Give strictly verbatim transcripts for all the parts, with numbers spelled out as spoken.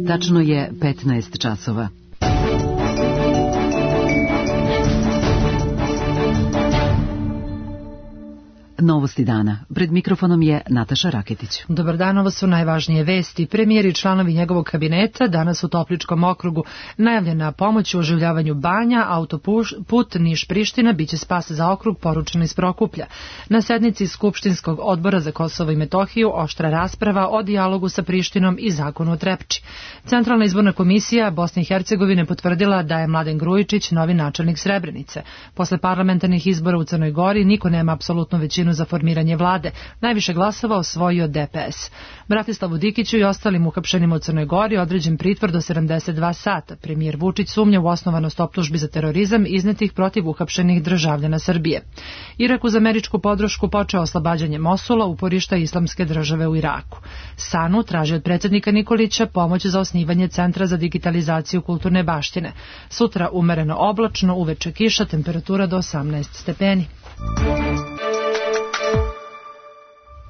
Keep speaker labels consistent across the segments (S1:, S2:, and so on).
S1: Tačno je petnaest časova. Novosti dana. Pred mikrofonom je Nataša Raketić.
S2: Dobar dan, ovo su najvažnije vesti. Premijer i članovi njegovog kabineta danas u Topličkom okrugu. Najavljena pomoć u oživljavanju banja, autoput Niš-Priština biće spas za okrug, poručeno iz Prokuplja. Na sednici Skupštinskog odbora za Kosovo i Metohiju oštra rasprava o dijalogu sa Prištinom i zakonu o Trepči. Centralna izborna komisija Bosne i Hercegovine potvrdila da je Mladen Grujičić novi načelnik Srebrenice. Posle parlamentarnih izbora u Crnoj Gori niko nema apsolutnu većinu za formiranje vlade. Najviše glasova osvojio D P S. Bratislavu Dikiću i ostalim uhapšenima u Crnoj Gori određen pritvor do sedamdeset dva sata. Premijer Vučić sumnja u osnovanost optužbi za terorizam iznetih protiv uhapšenih državljana Srbije. Irak uz američku podršku počeo oslobađanje Mosula, uporišta Islamske države u Iraku. SANU traži od predsjednika Nikolića pomoć za osnivanje Centra za digitalizaciju kulturne baštine. Sutra umereno oblačno, uveče kiša, temperatura do osamnaest stepeni.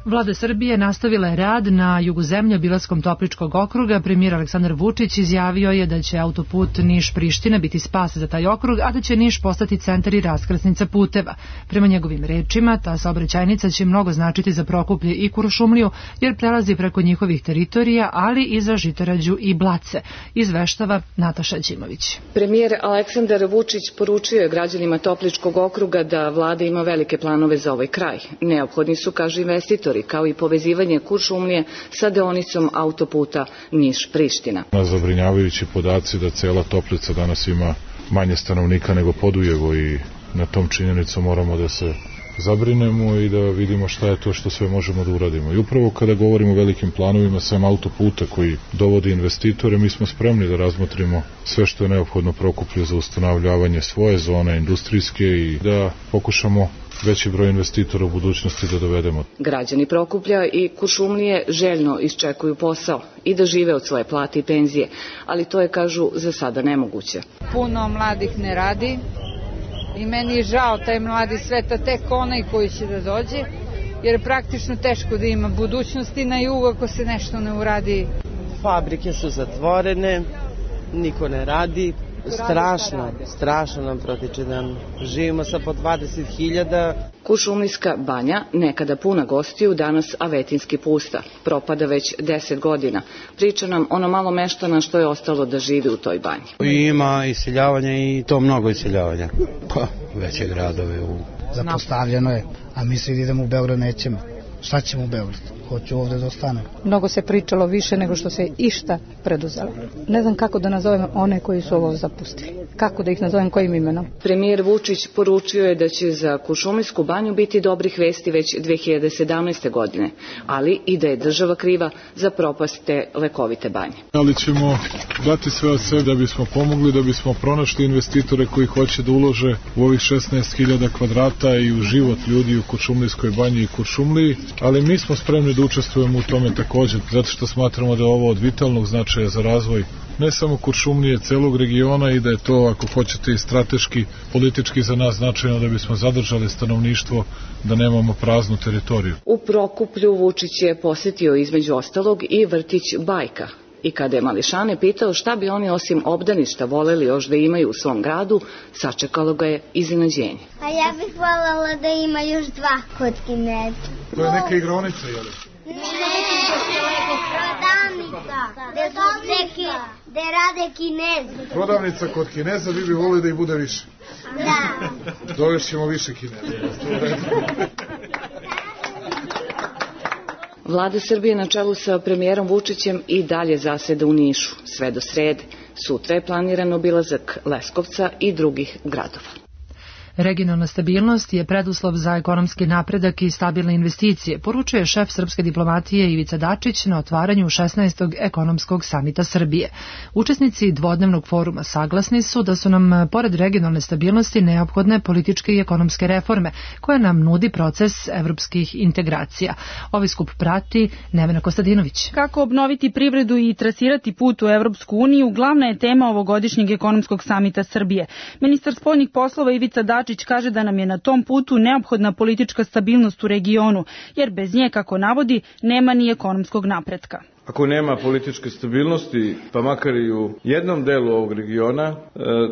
S2: Vlada Srbije nastavila je rad na jugu zemlje obilaskom Topličkog okruga. Premijer Aleksandar Vučić izjavio je da će autoput Niš-Priština biti spas za taj okrug, a da će Niš postati centar i raskrsnica puteva. Prema njegovim rečima, ta saobraćajnica će mnogo značiti za Prokuplje i Kuršumliju, jer prelazi preko njihovih teritorija, ali i za Žitorađu i Blace, izveštava Nataša Đimović.
S3: Premijer Aleksandar Vučić poručio je građanima Topličkog okruga da vlada ima velike planove za ovaj kraj. Neophodni su, kaže investitor, kao i povezivanje Kuršumlije sa deonicom autoputa Niš-Priština.
S4: Zabrinjavajući podaci da cela Toplica danas ima manje stanovnika nego Podujevo i na tom činjenicu moramo da se zabrinemo i da vidimo šta je to što sve možemo da uradimo. I upravo kada govorimo o velikim planovima sam autoputa koji dovodi investitore, mi smo spremni da razmotrimo sve što je neophodno Prokuplju za ustanovljavanje svoje zone industrijske i da pokušamo veći broj investitora u budućnosti da dovedemo.
S3: Građani Prokuplja i Kuršumlije željno iščekuju posao i da žive od svoje plate i penzije, ali to je, kažu, za sada nemoguće.
S5: Puno mladih ne radi i meni je žao taj mladi sveta, tek onaj koji će da dođe, jer je praktično teško da ima budućnosti na jugu ako se nešto ne uradi.
S6: Fabrike su zatvorene, niko ne radi. Strašno, strašno nam protiče dan. Živimo sa po dvadeset hiljada.
S3: Kuršumlijska banja, nekada puna gostiju, danas avetinski pusta. Propada već deset godina. Priča nam ono malo meštana što je ostalo da živi u toj banji.
S7: Ima iseljavanja i to mnogo iseljavanja. Pa, veće gradove. U...
S8: Zapostavljeno je, a mi se idemo u Beograd nećemo. Šta ćemo u Beograd? Hoću ovde da ostanem.
S9: Mnogo se pričalo više nego što se išta preduzelo. Ne znam kako da nazovem one koji su ovo zapustili. Kako da ih nazovem kojim imenom?
S3: Premijer Vučić poručio je da će za Kuršumlijsku banju biti dobrih vesti već dve hiljade sedamnaeste. godine, ali i da je država kriva za propast te lekovite banje.
S4: Ali ćemo dati sve od sebe da bismo pomogli, da bismo pronašli investitore koji hoće da ulože u ovih šesnaest hiljada kvadrata i u život ljudi u Kuršumlijskoj banji i Kuršumliji, ali mi smo spremni da učestvujemo u tome također, zato što smatramo da je ovo od vitalnog značaja za razvoj ne samo Kuršumlije, celog regiona i da je to, ako hoćete, i strateški, politički za nas značajno da bismo zadržali stanovništvo, da nemamo praznu teritoriju.
S3: U Prokuplju Vučić je posjetio između ostalog i vrtić Bajka. I kada je mališane pitao šta bi oni osim obdaništa voleli još da imaju u svom gradu, sačekalo ga je iznenađenje.
S10: A ja bih voljela da ima još dva kod Kineza.
S4: To je neka igronica, je li?
S10: Ne, prodavnica, gde rade Kinezi.
S4: Prodavnica kod Kineza, vi bi volili da ih bude više?
S10: Da.
S4: Dovešćemo više Kineza.
S3: Vlada Srbije na čelu sa premijerom Vučićem i dalje zaseda u Nišu, sve do srede. Sutra je planiran obilazak Leskovca i drugih gradova.
S2: Regionalna stabilnost je preduslov za ekonomski napredak i stabilne investicije, poručuje šef srpske diplomatije Ivica Dačić na otvaranju šesnaestog ekonomskog samita Srbije. Učesnici dvodnevnog foruma saglasni su da su nam, pored regionalne stabilnosti, neophodne političke i ekonomske reforme, koje nam nudi proces evropskih integracija. Ovaj skup prati Nevena Kostadinović.
S11: Kako obnoviti privredu i trasirati put u Evropsku uniju, glavna je tema ovogodišnjeg ekonomskog samita Srbije. Ministar spoljnih poslova Ivica Dačić kaže da nam je na tom putu neophodna politička stabilnost u regionu, jer bez nje, kako navodi, nema ni ekonomskog napretka.
S12: ako nema političke stabilnosti, pa makar i u jednom delu ovog regiona,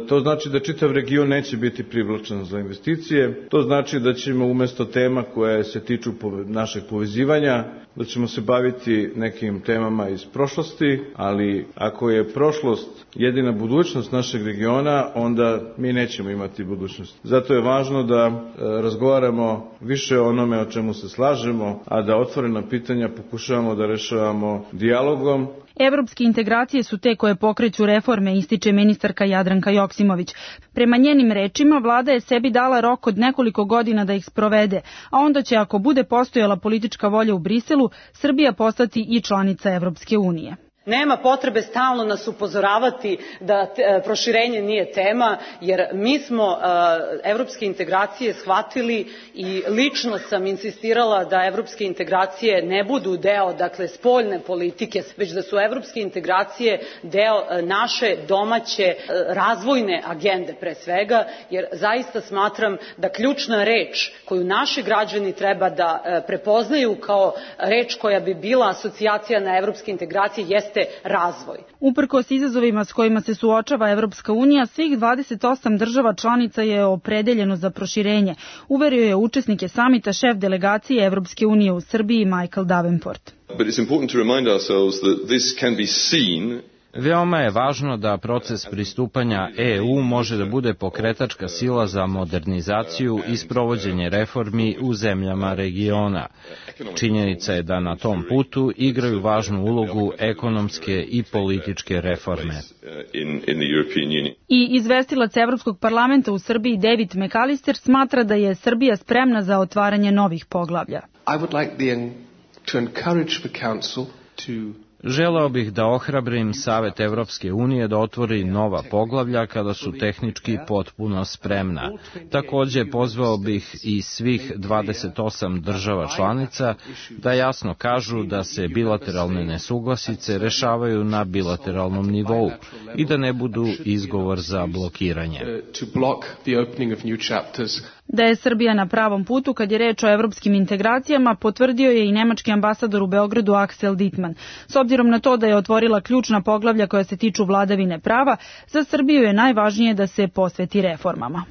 S12: to znači da čitav region neće biti privlačan za investicije. To znači da ćemo umesto tema koje se tiču našeg povezivanja, da ćemo se baviti nekim temama iz prošlosti, ali ako je prošlost jedina budućnost našeg regiona, onda mi nećemo imati budućnost. Zato je važno da razgovaramo više o onome o čemu se slažemo, a da otvorena pitanja pokušavamo da rešavamo dijalogom.
S11: Evropske integracije su te koje pokreću reforme, ističe ministarka Jadranka Joksimović. Prema njenim rečima, vlada je sebi dala rok od nekoliko godina da ih sprovede, a onda će, ako bude postojala politička volja u Briselu, Srbija postati i članica Evropske unije.
S13: Nema potrebe stalno nas upozoravati da proširenje nije tema, jer mi smo evropske integracije shvatili i lično sam insistirala da evropske integracije ne budu deo, dakle, spoljne politike, već da su evropske integracije deo naše domaće razvojne agende pre svega, jer zaista smatram da ključna reč koju naši građani treba da prepoznaju kao reč koja bi bila asocijacija na evropske integracije jeste razvoj.
S11: Uprkos izazovima s kojima se suočava Evropska unija, svih dvadeset osam država članica je opredeljeno za proširenje, uverio je učesnike samita šef delegacije Evropske unije u Srbiji Michael Davenport.
S14: But it's important to remind ourselves that this can be seen.
S15: Veoma je važno da proces pristupanja E U može da bude pokretačka sila za modernizaciju i sprovođenje reformi u zemljama regiona. Činjenica je da na tom putu igraju važnu ulogu ekonomske i političke reforme.
S11: I izvestilac Evropskog parlamenta u Srbiji David McAllister smatra da je Srbija spremna za otvaranje novih poglavlja.
S16: I would like the, to encourage the council to
S15: Želeo bih da ohrabrim Savet Evropske unije da otvori nova poglavlja kada su tehnički potpuno spremna. Takođe pozvao bih i svih dvadeset osam država članica da jasno kažu da se bilateralne nesuglasice rešavaju na bilateralnom nivou i da ne budu izgovor za blokiranje.
S11: Da je Srbija na pravom putu kad je reč o evropskim integracijama, potvrdio je i nemački ambasador u Beogradu Axel Dittmann. S obzirom na to da je otvorila ključna poglavlja koja se tiču vladavine prava, za Srbiju je najvažnije da se posveti reformama.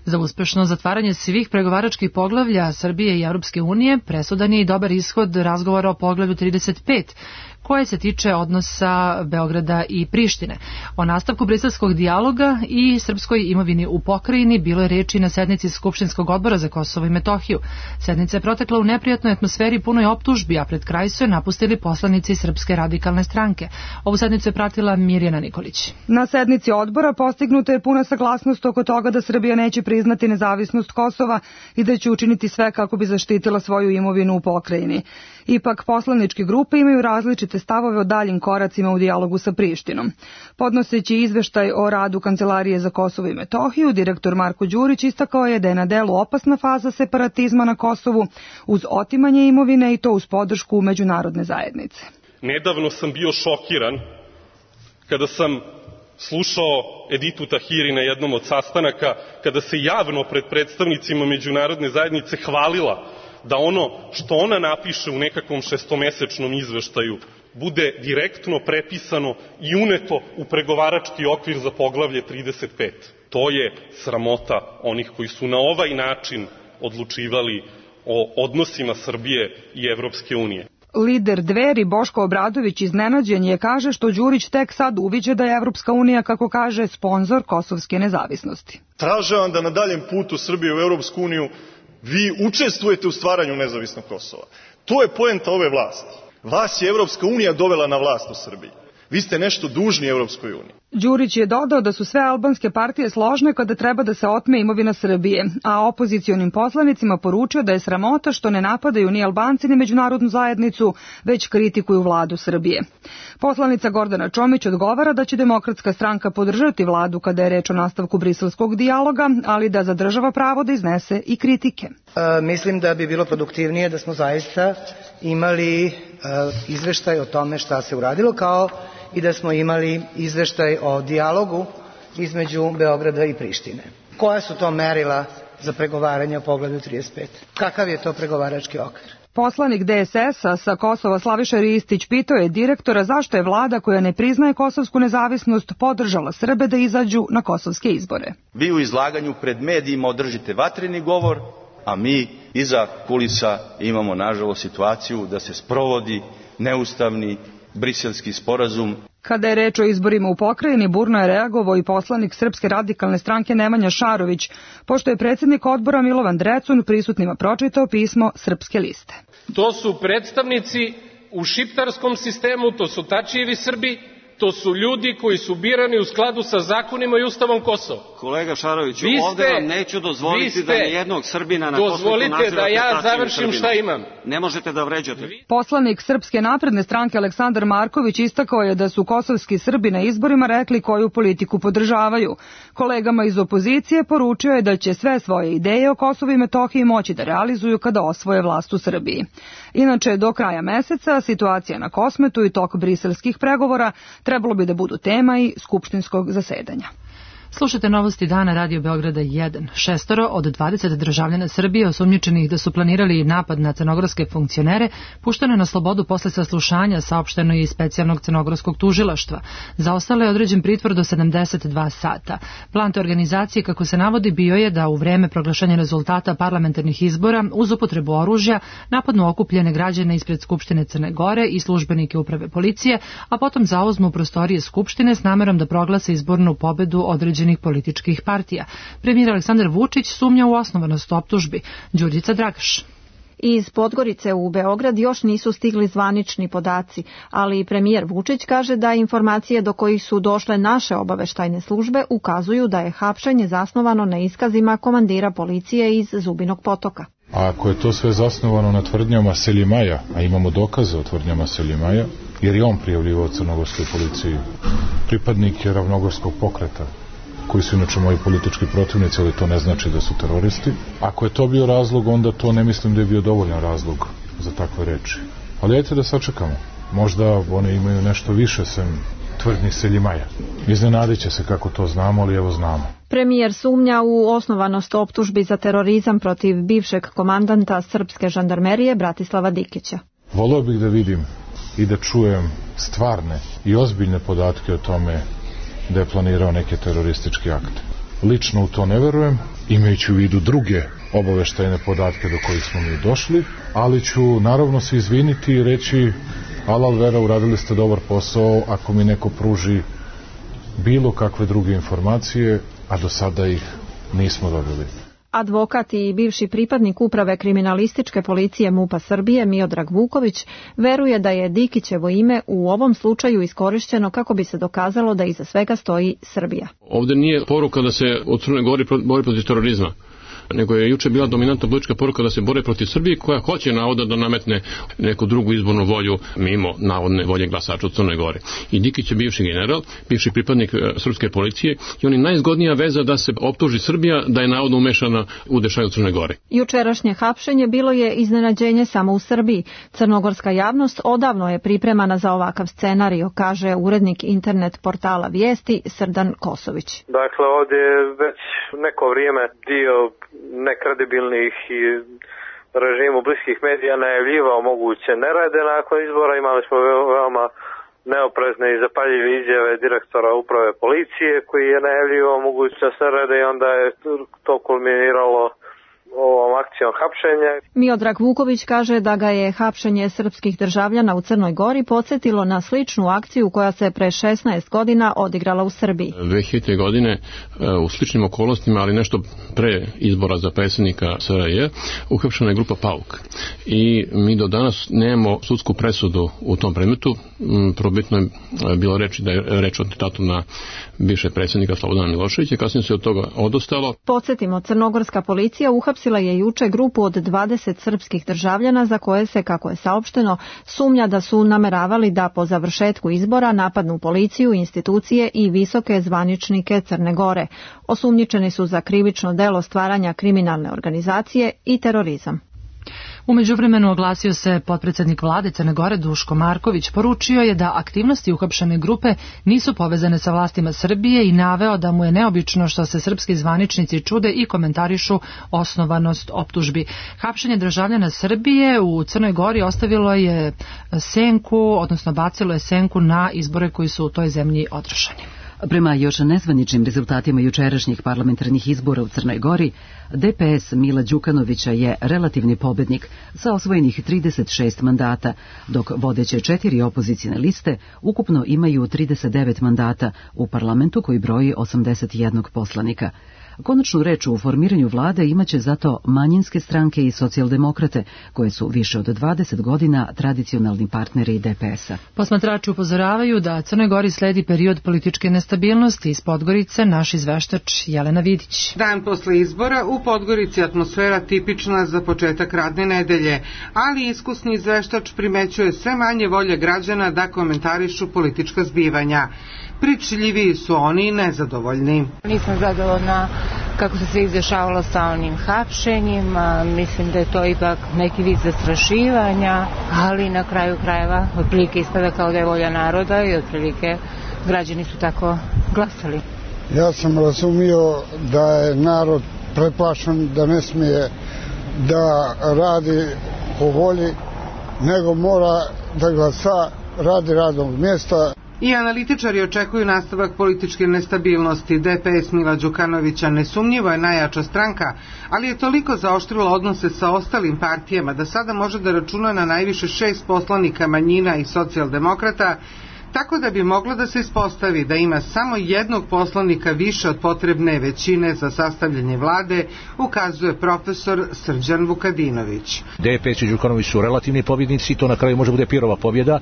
S2: Za uspešno zatvaranje svih pregovaračkih poglavlja Srbije i Evropske unije presudan je i dobar ishod razgovora o poglavlju trideset pet, koje se tiče odnosa Beograda i Prištine. O nastavku briselskog dijaloga i srpskoj imovini u pokrajini bilo je reči na sednici Skupštinskog odbora za Kosovo i Metohiju. Sednica je protekla u neprijatnoj atmosferi punoj optužbi, a pred kraj su je napustili poslanici Srpske radikalne stranke. Ovu sednicu je pratila Mirjana Nikolić.
S17: Na sednici odbora postignuta je puna saglasnost oko toga da Srbija neće priznati nezavisnost Kosova i da će učiniti sve kako bi zaštitila svoju imovinu u pokrajini. Ipak, poslaničke grupe imaju različite stavove o daljim koracima u dijalogu sa Prištinom. Podnoseći izveštaj o radu Kancelarije za Kosovo i Metohiju, direktor Marko Đurić istakao je da je na delu opasna faza separatizma na Kosovu uz otimanje imovine i to uz podršku međunarodne zajednice.
S18: Nedavno sam bio šokiran kada sam slušao Editu Tahiri na jednom od sastanaka, kada se javno pred predstavnicima međunarodne zajednice hvalila da ono što ona napiše u nekakvom šestomesečnom izveštaju bude direktno prepisano i uneto u pregovarački okvir za poglavlje trideset pet. To je sramota onih koji su na ovaj način odlučivali o odnosima Srbije i Evropske unije.
S17: Lider Dveri Boško Obradović iznenađen je, kaže, što Đurić tek sad uviđa da je Evropska unija, kako kaže, sponzor kosovske nezavisnosti.
S19: Tražavam da na daljem putu Srbije u Evropsku uniju vi učestvujete u stvaranju nezavisnog Kosova. To je poenta ove vlasti. Vas je Evropska unija dovela na vlast u Srbiji. Vi ste nešto dužni Evropskoj uniji.
S17: Đurić je dodao da su sve albanske partije složne kada treba da se otme imovina Srbije, a opozicionim poslanicima poručio da je sramota što ne napadaju ni Albanci ni međunarodnu zajednicu, već kritikuju vladu Srbije. Poslanica Gordana Čomić odgovara da će Demokratska stranka podržati vladu kada je reč o nastavku briselskog dijaloga, ali da zadržava pravo da iznese i kritike.
S20: E, mislim da bi bilo produktivnije da smo zaista imali e, izveštaj o tome šta se uradilo, kao i da smo imali izveštaj o dijalogu između Beograda i Prištine. Koja su to merila za pregovaranje o poglavlju trideset pet? Kakav je to pregovarački okvir?
S17: Poslanik D S S-a sa Kosova Slaviša Ristić pitao je direktora zašto je vlada koja ne priznaje kosovsku nezavisnost podržala Srbe da izađu na kosovske izbore.
S21: Vi u izlaganju pred medijima održite vatreni govor, a mi iza kulisa imamo nažalost situaciju da se sprovodi neustavni briselski sporazum.
S17: Kada je reč o izborima u pokrajini, burno je reagovao i poslanik Srpske radikalne stranke Nemanja Šarović, pošto je predsjednik odbora Milovan Drecun prisutnima pročitao pismo Srpske liste.
S22: To su predstavnici u šiptarskom sistemu, to su Tačijevi Srbi, to su ljudi koji su birani u skladu sa zakonima i Ustavom Kosova.
S23: Kolega Šaroviću,
S22: Vi
S23: ovde
S22: ste-
S23: vam neću dozvoliti
S22: vi ste-
S23: da nijednog Srbina na Kosovu
S22: Dozvolite
S23: nazivate
S22: da ja
S23: Tačijevim
S22: završim
S23: Srbima.
S22: šta imam.
S23: Ne možete da vređate.
S17: Poslanik Srpske napredne stranke Aleksandar Marković istakao je da su kosovski Srbi na izborima rekli koju politiku podržavaju. Kolegama iz opozicije poručio je da će sve svoje ideje o Kosovu i Metohiji moći da realizuju kada osvoje vlast u Srbiji. Inače, do kraja meseca situacija na Kosmetu i tok briselskih pregovora trebalo bi da budu tema i skupštinskog zasedanja.
S2: Slušajte novosti dana Radio Beograda jedan. Šestoro od dvadeset državljana Srbije osumnjičenih da su planirali napad na crnogorske funkcionere pušteno je na slobodu posle saslušanja, saopšteno je iz specijalnog crnogorskog tužilaštva. Za ostale je određen pritvor do sedamdeset dva sata. Plan te organizacije, kako se navodi, bio je da u vreme proglašenja rezultata parlamentarnih izbora uz upotrebu oružja napadnu okupljene građane ispred Skupštine Crne Gore i službenike uprave policije, a potom zauzmu prostorije Skupštine s namerom da proglase izbornu pobedu određenih političkih partija. Premijer Aleksandar Vučić sumnja u osnovanost optužbi. Đurđica Dragaš.
S24: Iz Podgorice u Beograd još nisu stigli zvanični podaci, ali premijer Vučić kaže da informacije do kojih su došle naše obaveštajne službe ukazuju da je hapšenje zasnovano na iskazima komandira policije iz Zubinog Potoka.
S4: A ako je to sve zasnovano na tvrdnjama Selimaja, a imamo dokaze o tvrdnjama Selimaja, jer je on prijavljivao crnogorskoj policiji, pripadnik je ravnogorskog pokreta, koji su inače moji politički protivnici, ali to ne znači da su teroristi. Ako je to bio razlog, onda to ne mislim da je bio dovoljan razlog za takve reči. Ali ajte da sačekamo. Možda one imaju nešto više sem tvrdnji Selimaja. Iznenadit će se kako to znamo, ali evo znamo.
S24: Premijer sumnja u osnovanost optužbi za terorizam protiv bivšeg komandanta srpske žandarmerije Bratislava Dikića.
S4: Voleo bih da vidim i da čujem stvarne i ozbiljne podatke o tome da je planirao neke terorističke akte. Lično u to ne verujem, imajući u vidu druge obaveštajne podatke do kojih smo mi došli, ali ću naravno se izviniti i reći alal vera, uradili ste dobar posao ako mi neko pruži bilo kakve druge informacije, a do sada ih nismo dobili.
S24: Advokat i bivši pripadnik uprave kriminalističke policije MUP-a Srbije Miodrag Vuković veruje da je Dikićevo ime u ovom slučaju iskorišćeno kako bi se dokazalo da iza svega stoji Srbija.
S25: Ovde nije poruka da se u Crnoj Gori bori protiv terorizma, nego je juče bila dominantna politička poruka da se bore protiv Srbije, koja hoće navodno da nametne neku drugu izbornu volju mimo navodne volje glasača u Crnoj Gori. I Dikić je bivši general, bivši pripadnik srpske policije i on je najzgodnija veza da se optuži Srbija da je navodno umešana u dešaju u Crnoj Gori.
S24: Jučerašnje hapšenje bilo je iznenađenje samo u Srbiji. Crnogorska javnost odavno je pripremana za ovakav scenario, kaže urednik internet portala Vijesti Srdan Kosović.
S26: Dakle, ovdje je već neko vrijeme dio nekredibilnih i režimu bliskih medija najavljivao moguće nerede nakon izbora. Imali smo veoma neoprezne i zapaljive izjave direktora uprave policije koji je najavljivao mogućnost nerede i onda je to kulminiralo ovom akcijom hapšenja.
S24: Miodrag Vuković kaže da ga je hapšenje srpskih državljana u Crnoj Gori podsjetilo na sličnu akciju koja se pre šesnaest godina odigrala u Srbiji.
S25: dve hiljadite. godine u sličnim okolnostima, ali nešto pre izbora za predsjednika S R J, uhapšena je grupa Pauk. I mi do danas nemamo sudsku presudu u tom predmetu. Probitno je bilo reči da je reč o atentatu na bivšeg predsjednika Slobodana Miloševića, kasnije se od toga odustalo.
S24: Podsjetimo, crnogorska policija uhapsila je juče grupu od dvadeset srpskih državljana za koje se, kako je saopšteno, sumnja da su nameravali da po završetku izbora napadnu policiju, institucije i visoke zvaničnike Crne Gore. Osumnjičeni su za krivično delo stvaranja kriminalne organizacije i terorizam.
S2: U međuvremenu oglasio se potpredsednik vlade Crne Gore Duško Marković. Poručio je da aktivnosti uhapšene grupe nisu povezane sa vlastima Srbije i naveo da mu je neobično što se srpski zvaničnici čude i komentarišu osnovanost optužbi. Hapšenje državljana Srbije u Crnoj Gori ostavilo je senku, odnosno bacilo je senku na izbore koji su u toj zemlji održani.
S1: Prema još nezvaničnim rezultatima jučerašnjih parlamentarnih izbora u Crnoj Gori, D P S Mila Đukanovića je relativni pobednik sa osvojenih trideset šest mandata, dok vodeće četiri opozicijne liste ukupno imaju trideset devet mandata u parlamentu koji broji osamdeset jedan poslanika. Konačnu reč u formiranju vlade imaće zato manjinske stranke i socijaldemokrate, koje su više od dvadeset godina tradicionalni partneri D P S-a.
S2: Posmatrači upozoravaju da Crnoj Gori sledi period političke nestabilnosti. Iz Podgorice naš izveštač Jelena Vidić.
S5: Dan posle izbora u Podgorici atmosfera tipična za početak radne nedelje, ali iskusni izveštač primećuje sve manje volje građana da komentarišu politička zbivanja. Pričljiviji su oni nezadovoljni.
S6: Nisam zadovoljna kako se sve izdešavalo sa onim hapšenjima, mislim da je to ipak neki vid zastrašivanja, ali na kraju krajeva otprilike ispada kao da je volja naroda i otprilike građani su tako glasali.
S7: Ja sam razumio da je narod preplašen, da ne smije da radi po volji, nego mora da glasa radi radnog mjesta.
S5: I analitičari očekuju nastavak političke nestabilnosti. D P S Mila Đukanovića nesumnjivo je najjača stranka, ali je toliko zaoštrila odnose sa ostalim partijama da sada može da računa na najviše šest poslanika manjina i socijaldemokrata, tako da bi moglo da se ispostavi da ima samo jednog poslanika više od potrebne većine za sastavljanje vlade, ukazuje profesor Srđan Vukadinović.
S8: D P S i Đukanović su relativni pobjednici, to na kraju može bude pirova pobjeda,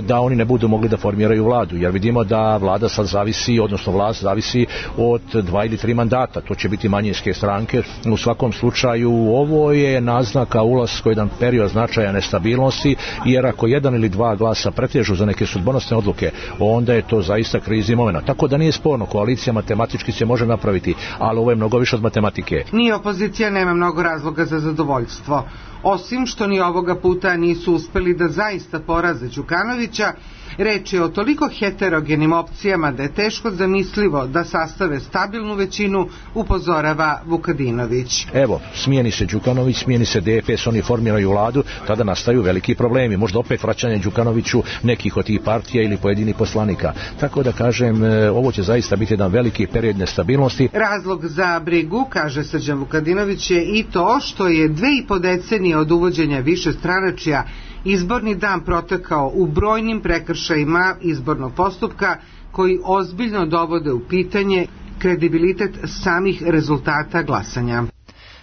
S8: da oni ne budu mogli da formiraju vladu, jer vidimo da vlada sad zavisi, odnosno vlast zavisi od dva ili tri mandata, to će biti manjinske stranke. U svakom slučaju ovo je naznaka ulaska u jedan period značaja nestabilnosti, jer ako jedan ili dva glasa pretežu za neke sudbonosne odluke, onda je to zaista krizni moment. Tako da nije sporno, koalicija matematički se može napraviti, ali ovo je mnogo više od matematike.
S5: Ni opozicija nema mnogo razloga za zadovoljstvo. Osim što ni ovoga puta nisu uspeli da zaista poraze Đukanovića, reč je o toliko heterogenim opcijama da je teško zamislivo da sastave stabilnu većinu, upozorava Vukadinović.
S8: Evo, smijeni se Đukanović, smijeni se D P S, oni formiraju vladu, tada nastaju veliki problemi, možda opet vraćanje Đukanoviću nekih od tih partija ili pojedinih poslanika. Tako da kažem, ovo će zaista biti jedan veliki period nestabilnosti.
S5: Razlog za brigu, kaže Srđan Vukadinović, je i to što je dve i po decenije od uvođenja više stranačija izborni dan protekao u brojnim prekršajima izbornog postupka koji ozbiljno dovode u pitanje kredibilitet samih rezultata glasanja.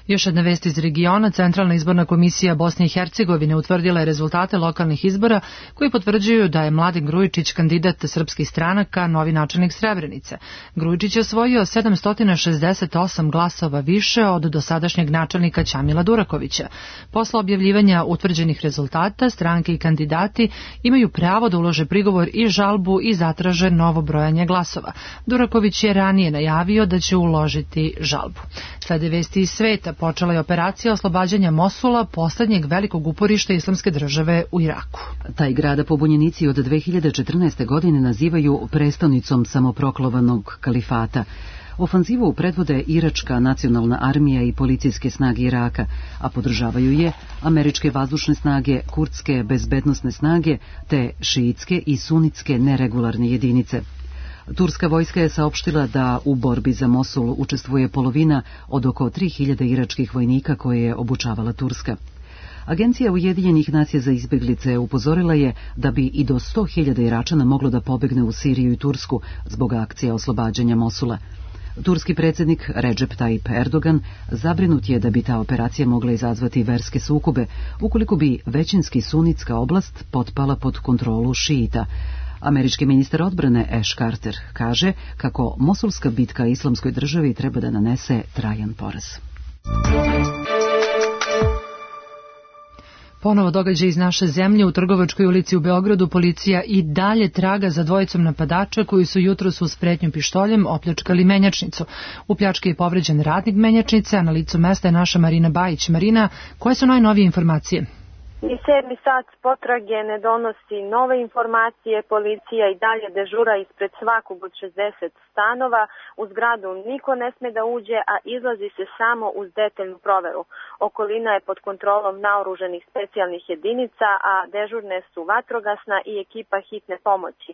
S2: Još jedna vest iz regiona. Centralna izborna komisija Bosne i Hercegovine utvrdila je rezultate lokalnih izbora koji potvrđuju da je Mladen Grujičić kandidat srpskih stranaka, novi načelnik Srebrenice. Grujičić je osvojio sedamsto šezdeset osam glasova više od dosadašnjeg načelnika Ćamila Durakovića. Posle objavljivanja utvrđenih rezultata, stranke i kandidati imaju pravo da ulože prigovor i žalbu i zatraže novo brojanje glasova. Duraković je ranije najavio da će uložiti žalbu. Slede vesti iz sveta. Počela je operacija oslobađanja Mosula, poslednjeg velikog uporišta islamske države u Iraku.
S1: Taj grada pobunjenici od dve hiljade četrnaeste. godine nazivaju prestonicom samoproklovanog kalifata. Ofanzivu predvode Iračka nacionalna armija i policijske snage Iraka, a podržavaju je američke vazdušne snage, kurdske bezbednosne snage te šiitske i sunitske neregularne jedinice. Turska vojska je saopštila da u borbi za Mosul učestvuje polovina od oko tri hiljade iračkih vojnika koje je obučavala Turska. Agencija Ujedinjenih nacija za izbjeglice upozorila je da bi i do sto hiljada Iračana moglo da pobegne u Siriju i Tursku zbog akcije oslobađanja Mosula. Turski predsjednik Recep Tayyip Erdogan zabrinut je da bi ta operacija mogla izazvati verske sukobe ukoliko bi većinski sunitska oblast potpala pod kontrolu šiita. Američki ministar odbrane Ash Carter kaže kako mosulska bitka islamskoj državi treba da nanese trajan poraz.
S2: Ponovo događaj iz naše zemlje. U Trgovačkoj ulici u Beogradu policija i dalje traga za dvojicom napadača koji su jutros uz pretnju pištoljem opljačkali menjačnicu. U pljački je povređen radnik menjačnice, a na licu mesta je naša Marina Bajić. Marina, koje su najnovije informacije?
S3: I sedmi sat potrage ne donosi nove informacije, policija i dalje dežura ispred svakog od šezdeset stanova, u zgradu niko ne sme da uđe, a izlazi se samo uz detaljnu proveru. Okolina je pod kontrolom naoruženih specijalnih jedinica, a dežurne su vatrogasna i ekipa hitne pomoći.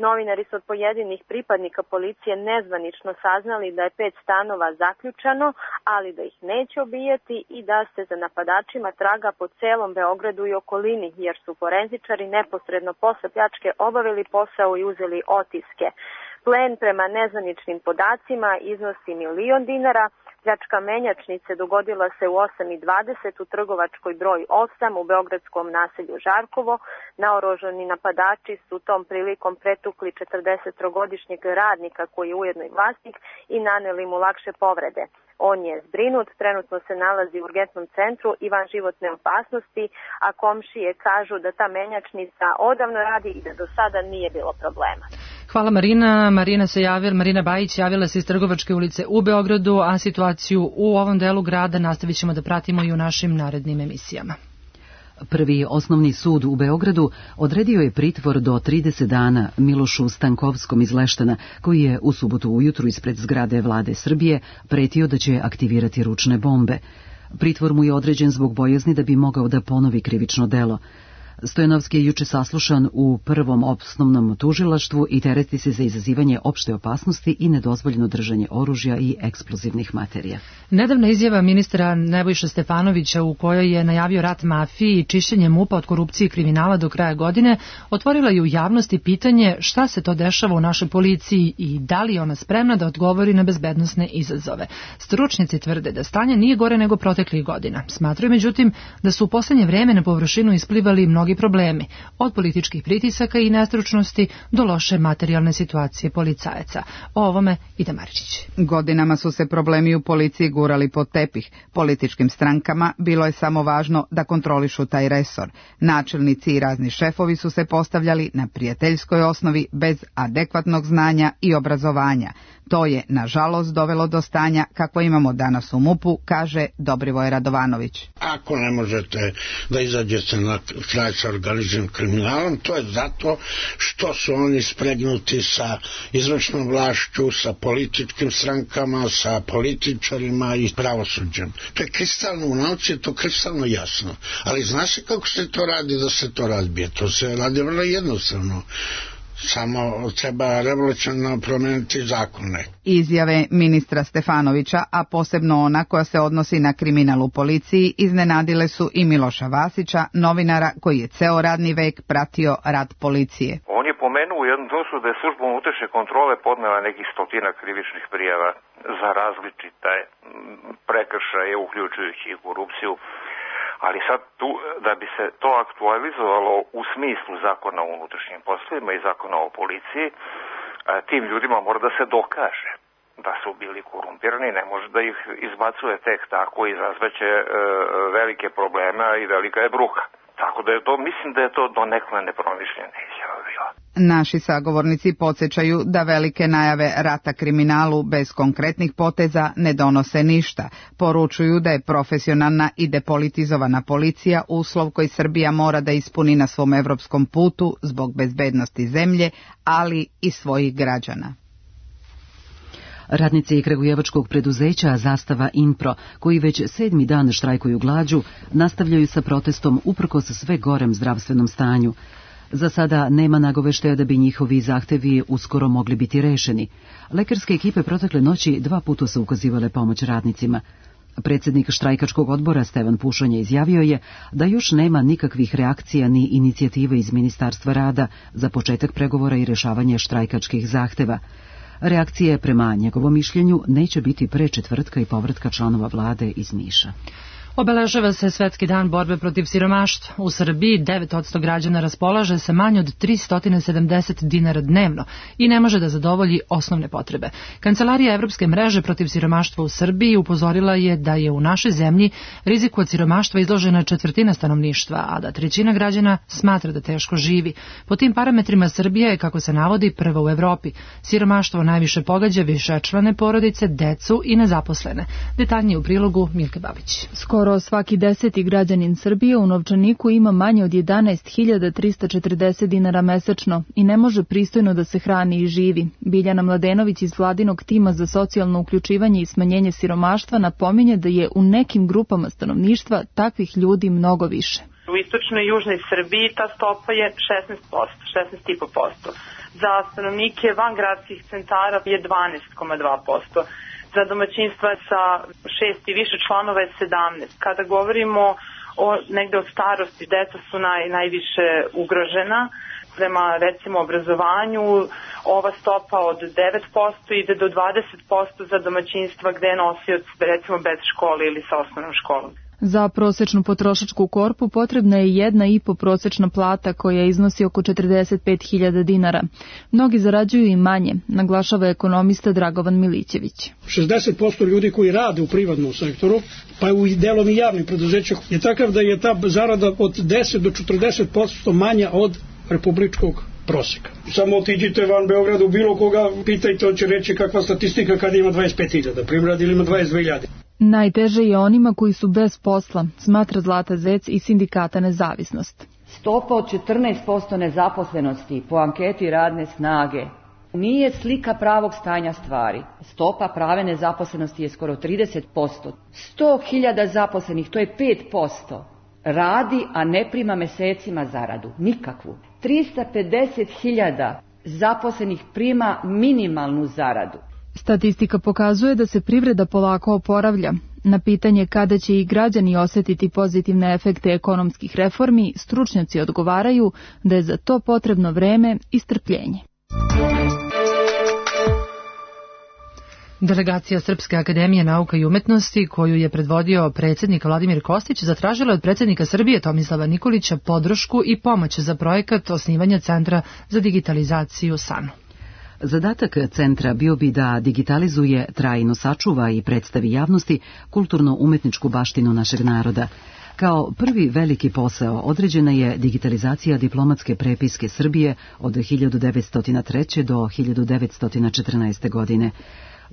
S3: Novinari su od pojedinih pripadnika policije nezvanično saznali da je pet stanova zaključano, ali da ih neće obijati i da se za napadačima traga po celom Beogradu i okolini, jer su forenzičari neposredno posle pljačke obavili posao i uzeli otiske. Plen prema nezvaničnim podacima iznosi milion dinara. Pljačka menjačnice dogodila se u osam i dvadeset u Trgovačkoj broj osam u beogradskom naselju Žarkovo. Naoružani napadači su tom prilikom pretukli četrdesettrogodišnjeg radnika koji je ujedno i vlasnik i naneli mu lakše povrede. On je zbrinut, trenutno se nalazi u urgentnom centru i van životne opasnosti, a komšije kažu da ta menjačnica odavno radi i da do sada nije bilo problema.
S2: Hvala Marina. Marina se javila, Marina Bajić javila se iz Trgovačke ulice u Beogradu, a situaciju u ovom delu grada nastavit ćemo da pratimo i u našim narednim emisijama.
S1: Prvi osnovni sud u Beogradu odredio je pritvor do trideset dana Milošu Stankovskom iz Leštana, koji je u subotu ujutru ispred zgrade Vlade Srbije pretio da će aktivirati ručne bombe. Pritvor mu je određen zbog bojazni da bi mogao da ponovi krivično delo. Stojanovski je juče saslušan u prvom osnovnom tužilaštvu i tereti se za izazivanje opšte opasnosti i nedozvoljeno držanje oružja i eksplozivnih materija.
S2: Nedavna izjava ministra Nebojše Stefanovića u kojoj je najavio rat mafiji i čišćenje MUP-a od korupcije i kriminala do kraja godine otvorila je u javnosti pitanje šta se to dešava u našoj policiji i da li je ona spremna da odgovori na bezbednosne izazove. Stručnjaci tvrde da stanje nije gore nego proteklih godina. Smatraju međutim da su u poslednje vreme na površinu isplivali mnogi problemi, od političkih pritisaka i nestručnosti do loše materijalne situacije policajaca. O ovome Ida Maričić.
S9: Godinama su se problemi u policiji gurali pod tepih. Političkim strankama bilo je samo važno da kontrolišu taj resor. Načelnici i razni šefovi su se postavljali na prijateljskoj osnovi bez adekvatnog znanja i obrazovanja. To je, nažalost, dovelo do stanja kako imamo danas u MUP-u, kaže Dobrivoje Radovanović.
S10: Ako ne možete da izađete na kraj sa organizovanim kriminalom, to je zato što su oni spregnuti sa izvršnom vlašću, sa političkim strankama, sa političarima i pravosuđem. To je kristalno u nauci, je to kristalno jasno. Ali zna se kako se to radi da se to razbije. To se radi vrlo jednostavno. Samo treba revolucionarno promeniti zakone.
S9: Izjave ministra Stefanovića, a posebno ona koja se odnosi na kriminal u policiji, iznenadile su i Miloša Vasića, novinara koji je ceo radni vek pratio rad policije.
S12: On je pomenuo u jednom trenutku da je služba unutrašnje kontrole podnela nekih stotina krivičnih prijava za različite prekršaje, uključujući i korupciju. Ali sad tu, da bi se to aktualizovalo u smislu zakona o unutrašnjim poslovima i zakona o policiji, tim ljudima mora da se dokaže da su bili korumpirani, ne može da ih izbacuje tek tako, izazvaće e, velike probleme i velika je bruka. Tako da je to, mislim da je to donekle nepromišljena izjava bila.
S9: Naši sagovornici podsjećaju da velike najave rata kriminalu bez konkretnih poteza ne donose ništa. Poručuju da je profesionalna i depolitizovana policija uslov koji Srbija mora da ispuni na svom evropskom putu zbog bezbednosti zemlje, ali i svojih građana.
S1: Radnici kragujevačkog preduzeća Zastava Inpro, koji već sedmi dan štrajkuju glađu, nastavljaju sa protestom uprkos sve gorem zdravstvenom stanju. Za sada nema nagoveštaja da bi njihovi zahtevi uskoro mogli biti rešeni. Lekarske ekipe protekle noći dva puta su ukazivale pomoć radnicima. Predsjednik štrajkačkog odbora Stevan Pušanja izjavio je da još nema nikakvih reakcija ni inicijative iz Ministarstva rada za početak pregovora i rešavanje štrajkačkih zahteva. Reakcije, prema njegovom mišljenju, neće biti pre četvrtka i povratka članova vlade iz Niša.
S2: Obeležava se Svetski dan borbe protiv siromaštva. U Srbiji devet posto građana raspolaže sa manje od tristo sedamdeset dinara dnevno i ne može da zadovolji osnovne potrebe. Kancelarija Evropske mreže protiv siromaštva u Srbiji upozorila je da je u našoj zemlji riziku od siromaštva izložena četvrtina stanovništva, a da trećina građana smatra da teško živi. Po tim parametrima Srbija je, kako se navodi, prva u Evropi. Siromaštvo najviše pogađa višečlane porodice, decu i nezaposlene. Detaljnije u prilogu Milke Babić.
S11: Skoro svaki deseti građanin Srbije u novčaniku ima manje od jedanaest hiljada trista četrdeset dinara mesečno i ne može pristojno da se hrani i živi. Biljana Mladenović iz vladinog tima za socijalno uključivanje i smanjenje siromaštva napominje da je u nekim grupama stanovništva takvih ljudi mnogo više.
S13: U istočnoj i južnoj Srbiji ta stopa je šesnaest posto, šesnaest zarez pet posto. Za stanovnike van gradskih centara je dvanaest zarez dva posto. Za domaćinstva sa šest i više članova je sedamnaest. Kada govorimo o negde od starosti, deca su naj, najviše ugrožena. Prema recimo obrazovanju, ova stopa od devet posto ide do dvadeset posto za domaćinstva gde je nosioc recimo bez škole ili sa osnovnom školom.
S11: Za prosečnu potrošačku korpu potrebna je jedna i po prosečna plata koja iznosi oko četrdeset pet hiljada dinara. Mnogi zarađuju i manje, naglašava ekonomista Dragovan Milićević.
S14: šezdeset posto ljudi koji rade u privatnom sektoru, pa u delom i javnim preduzećima, je takav da je ta zarada od deset do četrdeset posto manja od republičkog proseka. Samo otiđite van Beograda u bilo koga, pitajte, on će reći kakva statistika kada ima dvadeset pet hiljada primrada ili ima dvadeset dve hiljade.
S11: Najteže je onima koji su bez posla, smatra Zlata Zec iz sindikata Nezavisnost.
S15: Stopa od četrnaest posto nezaposlenosti po anketi radne snage nije slika pravog stanja stvari. Stopa prave nezaposlenosti je skoro trideset posto. sto hiljada zaposlenih, to je pet posto. Radi, a ne prima mesecima zaradu, nikakvu. trista pedeset hiljada zaposlenih prima minimalnu zaradu.
S11: Statistika pokazuje da se privreda polako oporavlja. Na pitanje kada će i građani osetiti pozitivne efekte ekonomskih reformi, stručnjaci odgovaraju da je za to potrebno vreme i strpljenje.
S2: Delegacija Srpske akademije nauka i umetnosti, koju je predvodio predsjednik Vladimir Kostić, zatražila od predsjednika Srbije Tomislava Nikolića podršku i pomoć za projekat osnivanja Centra za digitalizaciju S A N U.
S1: Zadatak centra bio bi da digitalizuje, trajno sačuva i predstavi javnosti kulturno-umetničku baštinu našeg naroda. Kao prvi veliki posao određena je digitalizacija diplomatske prepiske Srbije od hiljadu devetsto treće. do hiljadu devetsto četrnaeste. godine.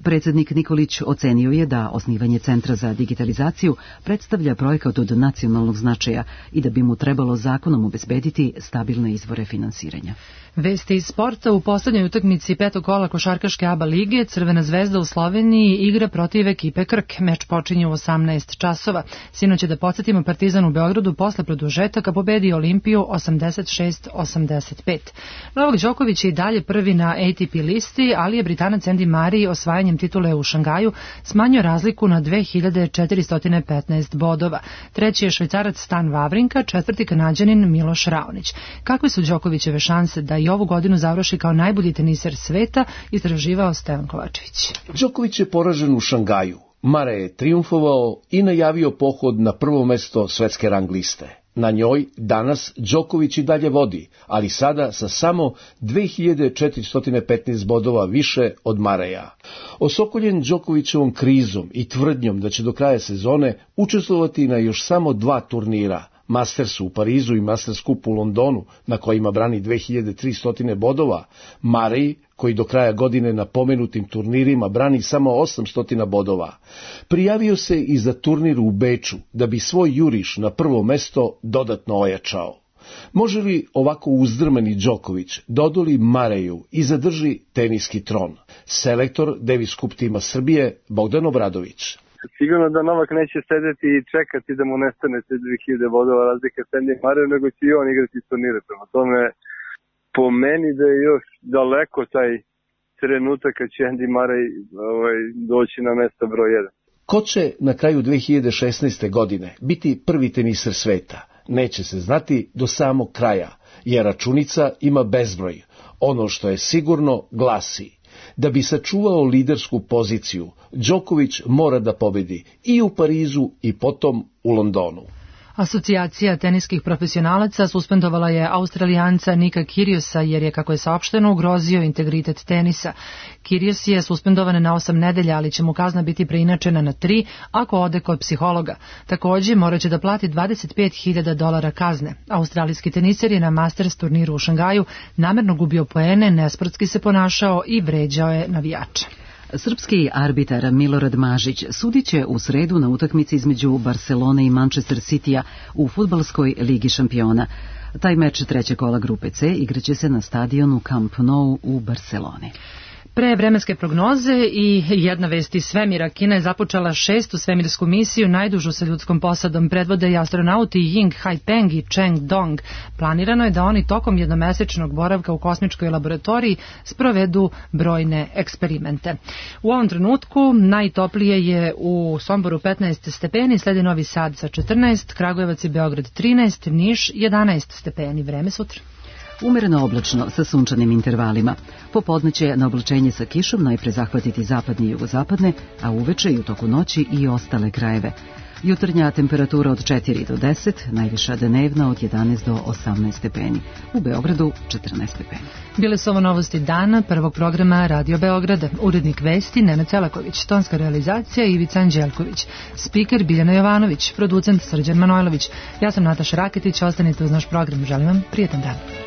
S1: Predsjednik Nikolić ocenio je da osnivanje Centra za digitalizaciju predstavlja projekat od nacionalnog značaja i da bi mu trebalo zakonom obezbediti stabilne izvore finansiranja.
S2: Vesti iz sporta: u poslednjoj utakmici petog kola košarkaške A B A lige Crvena zvezda u Sloveniji igra protiv ekipe Krk. Meč počinje u osamnaest časova. Sinoć je, da podsjetimo, Partizan u Beogradu posle produžetaka pobedio Olimpiju osamdeset šest osamdeset pet. Novak Đoković je i dalje prvi na A T P listi, ali je Britanac Andy Murray osvajanjem titule u Šangaju smanjio razliku na dve hiljade četiristo petnaest bodova. Treći je Švajcarac Stan Wawrinka, četvrti Kanađanin Miloš Raonić. Kakve su Đokovićeve šanse da i ovu godinu završi kao najbolji teniser sveta, istraživao Stevan Kovačević.
S16: Đoković je poražen u Šangaju. Murray je triumfovao i najavio pohod na prvo mesto svetske rang liste. Na njoj danas Đoković i dalje vodi, ali sada sa samo dve hiljade četiristo petnaest bodova više od Murraya. Osokoljen Đokovićevom krizom i tvrdnjom da će do kraja sezone učestvovati na još samo dva turnira, Mastersu u Parizu i Masters Cup u Londonu, na kojima brani dve hiljade tristo bodova, Murray, koji do kraja godine na pomenutim turnirima brani samo osamsto bodova, prijavio se i za turnir u Beču, da bi svoj juriš na prvo mesto dodatno ojačao. Može li ovako uzdrmani Đoković dodoli Murrayu i zadrži teniski tron? Selektor Davis Cup tima Srbije Bogdan Obradović.
S18: Sigurno da Novak neće sedeti i čekati da mu nestane se dve hiljade bodova razlike s Andy Murrayem, nego će i on igrati turnire. Prema tome, po meni da je još daleko taj trenutak kad će Andy Murray ovaj, doći na mesto broj jedan.
S16: Ko će na kraju dve hiljade šesnaeste. godine biti prvi teniser sveta? Neće se znati do samog kraja, jer računica ima bezbroj. Ono što je sigurno glasi: Da bi sačuvao lidersku poziciju, Đoković mora da pobedi i u Parizu i potom u Londonu.
S2: Asocijacija teniskih profesionalaca suspendovala je Australijanca Nika Kyrgiusa jer je, kako je saopšteno, ugrozio integritet tenisa. Kyrgios je suspendovan na osam nedelja, ali će mu kazna biti preinačena na tri ako ode kod psihologa. Također morat će da plati dvadeset pet hiljada dolara kazne. Australijski teniser je na Masters turniru u Šangaju namerno gubio poene, nesportski se ponašao i vređao je navijače.
S1: Srpski arbitar Milorad Mažić sudit će u sredu na utakmici između Barcelone i Manchester Citya u fudbalskoj ligi šampiona. Taj meč trećeg kola grupe C igraće se na stadionu Camp Nou u Barceloni.
S2: Pre vremenske prognoze i jedna vest iz svemira. Kina je započela šestu svemirsku misiju, najdužu sa ljudskom posadom. Predvode i astronauti Ying Haipeng i Cheng Dong. Planirano je da oni tokom jednomesečnog boravka u kosmičkoj laboratoriji sprovedu brojne eksperimente. U ovom trenutku najtoplije je u Somboru petnaest stepeni, sledi Novi Sad sa četrnaest, Kragujevac i Beograd trinaest, Niš jedanaest stepeni. Vreme sutra.
S1: Umereno oblačno sa sunčanim intervalima. Popodne će na oblačenje sa kišom najpre zahvatiti zapadne i jugozapadne, a uveče i u toku noći i ostale krajeve. Jutarnja temperatura od četiri do deset, najviša dnevna od jedanaest do osamnaest stepeni. U Beogradu četrnaest stepeni.
S2: Bile su ovo novosti dana prvog programa Radio Beograda. Urednik vesti Nenad Celaković, tonska realizacija Ivica Anđelković, spiker Biljana Jovanović, producent Srđan Manojlović. Ja sam Nataša Raketić, ostanite uz naš program. Želim vam prijetan dan.